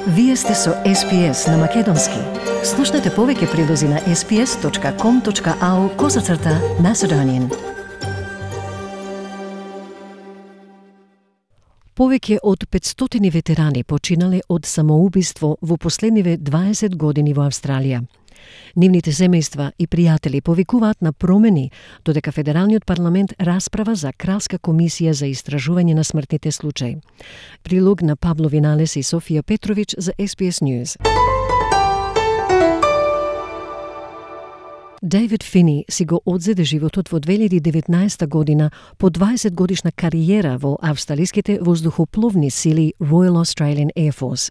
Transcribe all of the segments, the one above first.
Вие сте со SPS на Македонски. Слушнете повеќе прилози на sps.com.au/Macedonian. Повеќе од 500 ветерани починале од самоубиство во последниве 20 години во Австралија. Нивните семејства и пријатели повикуваат на промени, додека Федералниот парламент расправа за Кралска комисија за истражување на смртните случаи. Прилог на Пабло Виналес и Софија Петрович за SBS News. Дейвид Фини си го одзеде животот во 2019 година по 20 годишна кариера во австралиските воздухопловни сили Royal Australian Air Force.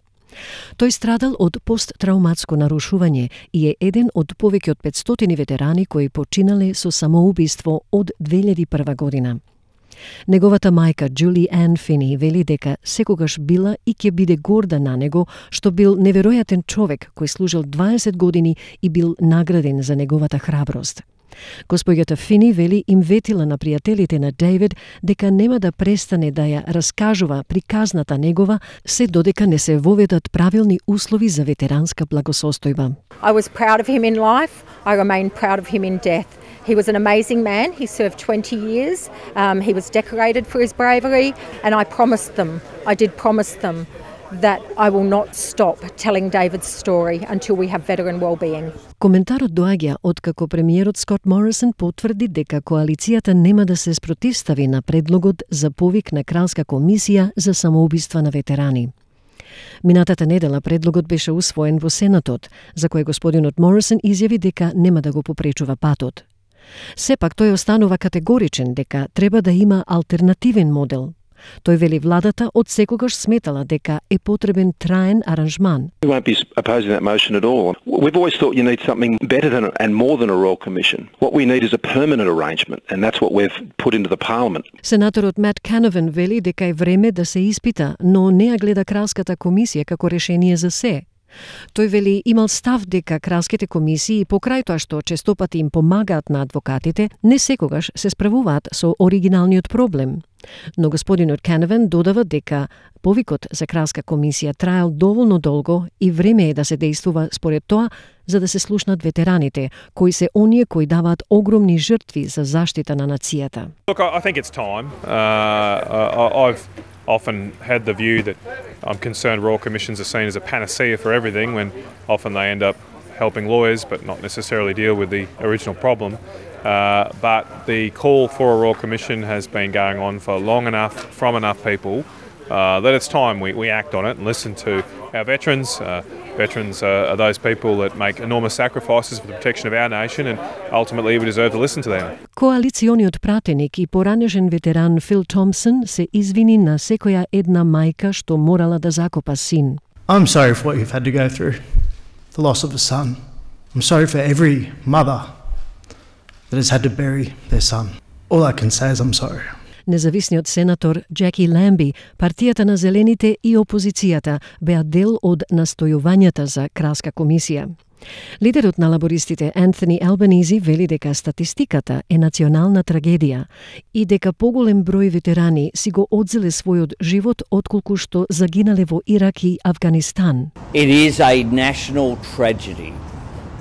Тој страдал од посттрауматско нарушување и е еден од повеќе од 500 ветерани кои починале со самоубиство од 2001 година. Неговата мајка, Джули Ан Фини, вели дека секогаш била и ќе биде горда на него, што бил неверојатен човек кој служил 20 години и бил награден за неговата храброст. Госпоѓата Фини вели им ветила на пријателите на Дейвид дека нема да престане да ја раскажува приказната негова се додека не се воведат правилни услови за ветеранска благосостојба. I was proud of him in life. I remain proud of him in death. He was an amazing man. He served 20 years. He was decorated for his bravery, and I did promise them that I will not stop telling David's story until we have veteran well-being. Коментарот доаѓа откако премиерот Скот Морисон потврди дека коалицијата нема да се спротивстави на предлогот за повик на Кралска комисија за самоубиства на ветерани. Минатата недела предлогот беше усвоен во Сенатот, за кој господинот Морисон изјави дека нема да го попречува патот. Сепак тој останува категоричен дека треба да има алтернативен модел. Тој вели владата од секогаш сметала дека е потребен траен аранжман. We won't be opposing that motion at all. We've always thought you need something better than and more than a Royal Commission. What we need is a permanent arrangement, and that's what we've put into the Parliament. Сенаторот Мат Кановен вели дека е време да се испита, но не ја гледа Кралската комисија како решение за се. Тој вели имал став дека кралските комисии покрај тоа што честопати им помагаат на адвокатите, не секогаш се справуваат со оригиналниот проблем. Но господинот Кановен додава дека повикот за Кралска комисија траел доволно долго и време е да се действува според тоа за да се слушнат ветераните, кои се оние кои даваат огромни жртви за заштита на нацијата. Look, I think it's time. I've often had the view that I'm concerned Royal Commissions are seen as a panacea for everything when often they end up helping lawyers but not necessarily deal with the original problem. But the call for a Royal Commission has been going on for long enough from enough people that it's time we act on it and listen to our veterans. Veterans are those people that make enormous sacrifices for the protection of our nation, and ultimately we deserve to listen to them. Коалициониот пратеник и поранешен ветеран Фил Томпсон се извини на секоја една мајка што морала да закопа син. I'm sorry for what you've had to go through, the loss of a son. I'm sorry for every mother that has had to bury their son. All I can say is I'm sorry. Независниот сенатор Джеки Ламби, партијата на Зелените и опозицијата беа дел од настојувањата за Кралска комисија. Лидерот на лабористите Антони Албанизи вели дека статистиката е национална трагедија и дека поголем број ветерани си го одзеле својот живот отколку што загинале во Ирак и Авганистан. It is a national tragedy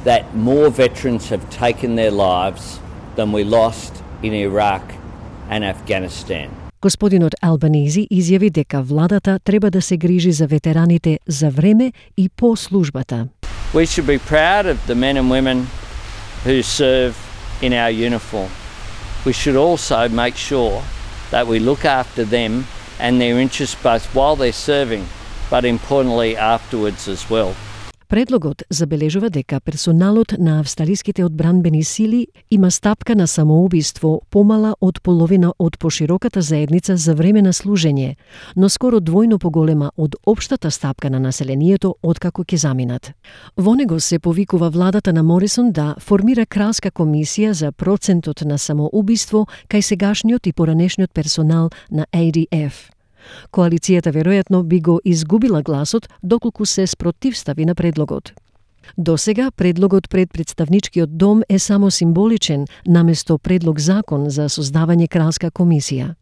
that more veterans have taken their lives than we lost in Iraq and Afghanistan. Господинот Албанизи изјави дека владата треба да се грижи за ветераните за време и по службата. We should be proud of the men and women who serve in our uniform. We should also make sure that we look after them and their interests both while they're serving, but importantly afterwards as well. Предлогот забележува дека персоналот на австралиските одбранбени сили има стапка на самоубиство помала од половина од пошироката заедница за време на служење, но скоро двојно поголема од општата стапка на населението откако ќе заминат. Во него се повикува владата на Морисон да формира Кралска комисија за процентот на самоубиство кај сегашниот и поранешниот персонал на ADF. Коалицијата веројатно би го изгубила гласот доколку се спротивстави на предлогот. Досега предлогот пред представничкиот дом е само символичен наместо предлог закон за создавање Кралска комисија.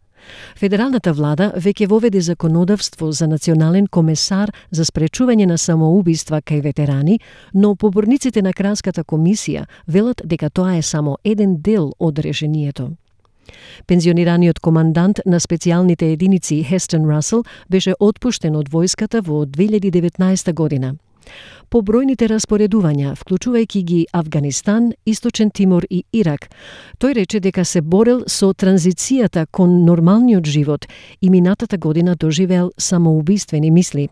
Федералната влада веќе воведе законодавство за национален комесар за спречување на самоубиства кај ветерани, но поборниците на Кралската комисија велат дека тоа е само еден дел од решението. Пензионираниот командант на специјалните единици Хестон Расел беше отпуштен од војската во 2019 година. По бројните распоредувања, вклучувајќи ги Авганистан, Источен Тимор и Ирак, тој рече дека се борел со транзицијата кон нормалниот живот и минатата година доживеел самоубиствени мисли.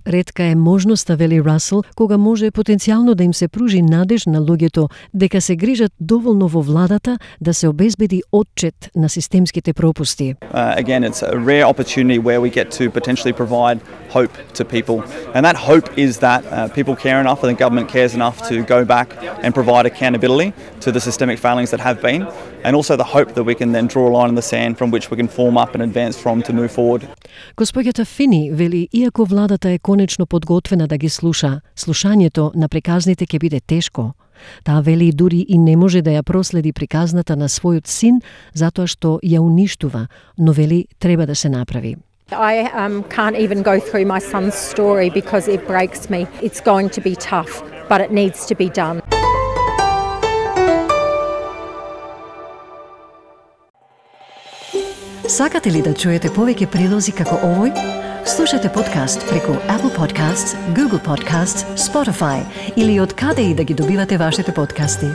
Ретка е можноста, вели Расел, кога може потенцијално да им се пружи надеж на луѓето дека се грижат доволно во владата да се обезбеди отчет на системските пропусти. Again, it's a rare opportunity where we get to potentially provide hope to people. And that hope is that people care enough and the government cares enough to go back and provide accountability to the systemic failings that have been. And also the hope that we can then draw a line in the sand from which we can form up and advance from to move forward. Господјата Фини вели, иако владата е конечно подготвена да ги слуша, слушањето на приказните ќе биде тешко. Таа вели дури и не може да ја проследи приказната на својот син затоа што ја уништува, но вели треба да се направи. I can't even go through my son's story because it breaks me. It's going to be tough, but it needs to be done. Сакате ли да чуете повеќе прилози како овој? Слушате подкаст преку Apple Podcasts, Google Podcasts, Spotify или од каде и да ги добивате вашите подкасти.